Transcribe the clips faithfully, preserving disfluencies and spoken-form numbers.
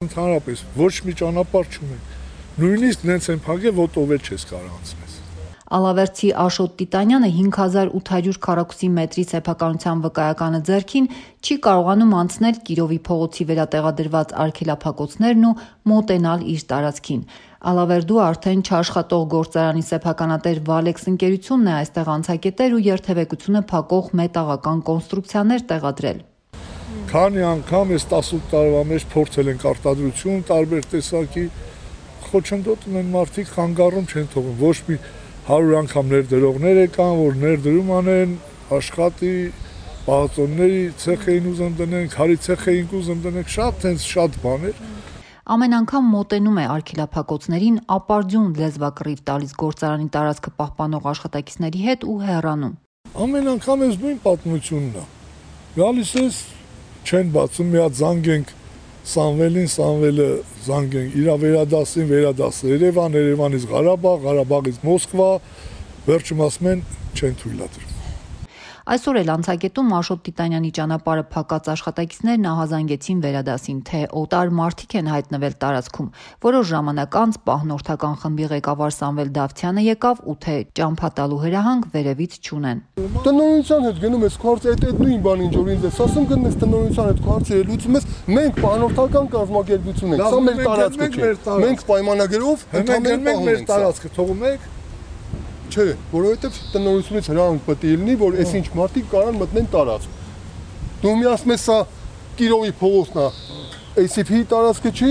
Ընդհանրապես ոչ մի ճանապարհ չունենք, նույնիսկ նենց են փակել, ոտով էլ չես կարող անցնել։ Ալավերդցի Աշոտ Տիտանյանը հինգ հազար ութ հարյուր քառակուսի մետրի սեփականության վկայականը ձեռքին չի կարողանում անցնել Կիրովի փողոցի վերատեղադրված արգելափակոցներն ու մոտենալ իր տարածքին։ Ալավերդու արդեն չաշխատող գործարանի սեփականատեր Վալեքս ընկերությունն է այստեղ անցակետեր ու երթևեկությունը փակող մետաղական կոնստրուկցիաներ տեղադրել։ Քանի անգամ այս տասութ տարվա մեջ փորձել ենք արտադրություն տարբեր տեսակի, խոչընդոտում են մարդիկ, խանգարում չեն թողում, ոչ մի հարյուր անգամ ներդրողներ եկան, որ ներդրում անեն, աշխատի, պահածոնների ցեխ էին ուզում դնենք, քարի ցեխ էինք ուզում դնենք, շատ հենց շատ բաներ։ Ամեն անգամ մոտենում է արգելափակոցներին, ապարդյուն լեզվակռիվ տալիս գործարանի տարածքը պահպանող աշխատակիցների հետ ու հեռանում։ Ամեն անգամ այս նույն պատմությունն է։ Գալիս ես, չեն բացում, մի հատ զանգ ենք Սամվելին, Սամվելը զանգ ենք, իրա վերադասին, վերադասը Երևան, Երևանից Ղարաբաղ, Ղարաբաղից Մոսկվա, վերջում ասում են չեն թույլատրում։ Այսօր էլ անցակետում Աշոտ Տիտանյանի ճանապարհը փակած աշխատակիցներն ահազանգեցին վերադասին, թե օտար մարդիկ են հայտնվել տարածքում։ Որոշ ժամանակ անց պահնորդական խմբի ղեկավար Սամվել Դավթյանը եկավ ու թե ճամփա տալու հրահանգ վերևից չունեն։ Տնօրինության հետ գնում ես քարտը, այդ այդ նույն բան ինչ որ ինձ ես ասում, գնես տնօրինության հետ քարտը լուծում ես, մենք պահնորդական կազմակերպություն ենք, սա մեր տարածքը չէ։ Մենք պայմանագրով ընդհանրեն մենք մեր տարածքը թողում ենք։ Չէ, որովհետև տնօրինությունից հրահանգ պետք է լինի, որ այս ինչ մարդիկ կարան մտնեն տարածք։ Դու մի ասում ես, սա Կիրովի փողոցն է, A C P-ի տարածքը չի,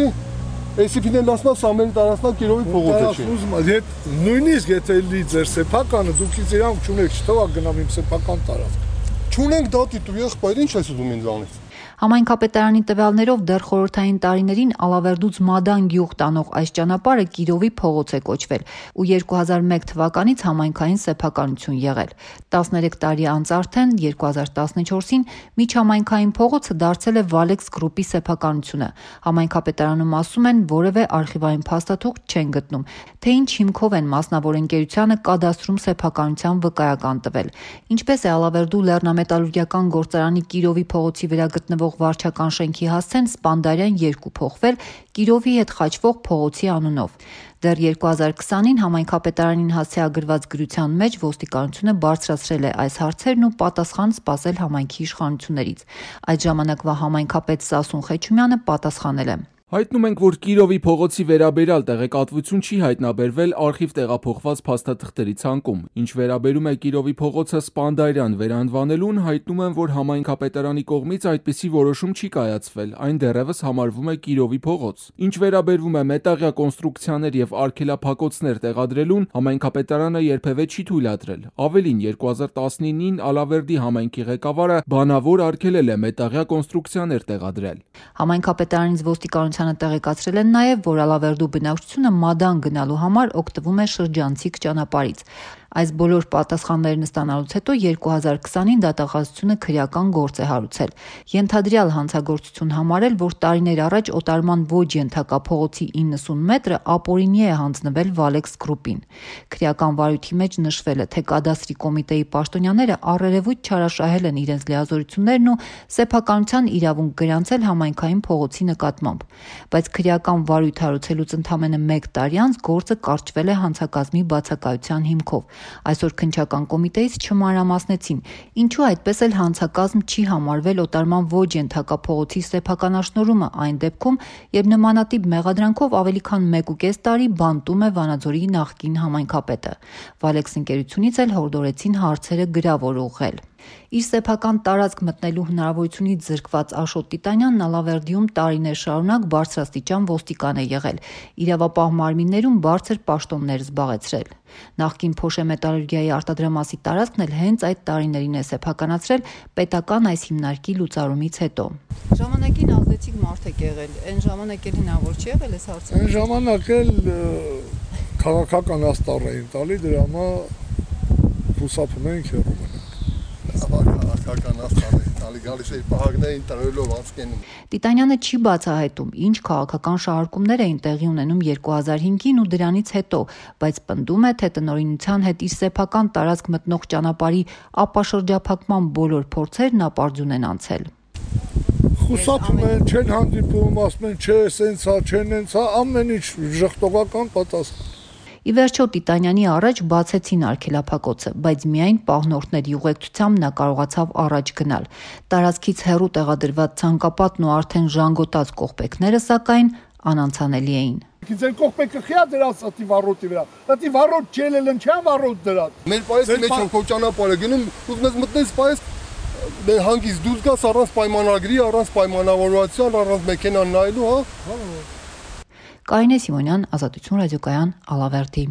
A C P-ն էլ ասում է, սա մեր տարածքն է, Կիրովի փողոցը չի։ Նույնիսկ եթե լի ձեր սեփականը, դուք ինձ իրանք չունեք, չթողա գնամ իմ սեփական տարածք։ Չունենք դատի դու եղբայր, ինչ ես ուզում ինձ անես։ Համայնքապետարանի տվյալներով դեռ խորհրդային տարիներին Ալավերդուց Մադան գյուղ տանող այս ճանապարհը Կիրովի փողոց է կոչվել ու երկու հազար մեկ թվականից համայնքային սեփականություն եղել։ տասներեք տարի անց արդեն երկու հազար տասնչորսին միջհամայնքային փողոցը դարձել է Վալեքս գրուպի սեփականությունը։ Համայնքապետարանում ասում են, որևէ արխիվային փաստաթուղթ չեն գտնում, թե ինչ հիմքով են մասնավոր ընկերությանը կադաստրում սեփականության վկայական տվել։ Ինչպես է Ալավերդու լեռնամետալուրգիական գործարանի Կիրովի փողոցի վրա գտնվող վարչական շենքի հասցեն Սպանդարյան երկու փոխվել Կիրովի հետ խաչվող փողոցի անունով։ Դեռ երկու հազար քսանին համայնքապետարանին հասցեագրված գրության մեջ ոստիկանությունը բարձրացրել է այս հարցերն ու պատասխան սպասել համայնքի իշխանություններից։ Այդ ժամանակվա համայնքապետ Սասուն Խեչումյանը պատասխանել է. Հայտնում ենք, որ Կիրովի փողոցի վերաբերյալ տեղեկատվություն չի հայտնաբերվել արխիվ տեղափոխված փաստաթղթերի ցանկում։ Ինչ վերաբերում է Կիրովի փողոցը Սպանդարյան վերանվանելուն, հայտնում եմ, որ համայնքապետարանի կողմից այդպիսի որոշում չի կայացվել, այն դեռևս համարվում է Կիրովի փողոց։ Ինչ վերաբերում է մետաղյա կոնստրուկցիաներ եւ արգելափակոցներ տեղադրելուն, համայնքապետարանը երբևէ չի թույլատրել։ Ավելին, երկու հազար տասնինին Ալավերդի համայնքի ղեկավարը բանավոր արգելել է մետաղյա կոնստրուկցիաներ տեղադրել։ Համայնքապետարանից ոստիկանությանը տեղեկացրել են նաև, որ Ալավերդու բնակչությունը Մադան գնալու համար օգտվում է շրջանցիկ ճանապարհից։ Այս բոլոր պատասխաններն ստանալուց հետո երկու հազար քսանին դատախազությունը քրեական գործ է հարուցել։ Ենթադրյալ հանցագործություն համարել, որ տարիներ առաջ օտարման ոչ ենթակա փողոցի իննսուն մետրը ապօրինի է հանձնվել Վալեքս գրուպին։ Քրեական վարույթի մեջ նշվել է, թե կադաստրի կոմիտեի պաշտոնյաները առերևույթ չարաշահել են իրենց լիազորություններն ու սեփականության իրավունք գրանցել համայնքային փողոցի նկատմամբ։ Բայց քրեական վարույթ հարուցելուց ընդամենը մեկ տարի անց գործը կարճվել է հանցակազմի բացակայության հիմքով։ Այսօր քննչական կոմիտեից չմանրամասնեցին, ինչու այդպես էլ հանցակազմ չի համարվել օտարման ոչ ենթակա փողոցի սեփականաշնորհումը այն դեպքում, երբ նմանատիպ մեղադրանքով ավելի քան մեկուկես տարի բանտում է Վանաձորի նախկին համայնքապետը։ Վալեքս ընկերությունից էլ հորդորեցին հարցերը գրավոր ուղղել։ Իր սեփական տարածք մտնելու հնարավորությունից զրկված Աշոտ Տիտանյանն Ալավերդիում տարիներ շարունակ բարձրաստիճան ոստիկան է եղել, իրավապահ մարմիններում բարձր պաշտոններ զբաղեցրել։ Նախկին Փոշեմետալուրգիայի արտադրամասի տարածքն էլ հենց այդ տարիներին է սեփականացրել պետական այս հիմնարկի լուծարումից հետո։ Ժամանակին ազդեցիկ մարդ եք եղել, այն ժամանակ էլ հնարավոր չի եղել այս հարցը։ Այն ժամանակ էլ քաղաքական աստառ էին տալի, դրա համար խուսափում ենք հեռու մնանք։ Քաղաքական աստառ էին տալի, գալիս էի պահակներին տրելով անցկենում։ Տիտանյանը չի բացահայտում, ինչ քաղաքական շահարկումներ էին տեղի ունենում երկու հազար հինգին ու դրանից հետո, բայց պնդում է, թե տնօրինության հետ իր սեփական տարածք մտնող ճանապարհի ապաշրջափակման բոլոր փորձերն ապարդյուն են անցել։ Խուսափում են, չեն հանդիպում, ասում են, չէ, սենց է, չեն ենց է, ամեն ինչ ժխտողական պատասխան։ Ի վերջո Տիտանյանի առաջ բացեցին արգելափակոցը, բայց միայն պահնորդների ուղեկցությամբ նա կարողացավ առաջ գնալ։ Տարածքից հեռու տեղադրված ցանկապատն ու արդեն ժանգոտած կողպեքները սակայն անանցանելի էին։ Ձեր կողպեկը խիա դրած ատի վառոտի վրա։ Ատի վառոտ չելել են, չան վառոտ դրած։ Մեր պայեսի մեջ են քո ճանապարհը գնում, ուզում ես մտնես պայես դե հանգից դուրս գաս առանց պայմանագրի, առանց պայմանավորվածության, առանց մեքենան նայելու, հա։ Կարինե Սիմոնյան, Ազատություն ռադիոկայան, Ալավերդի։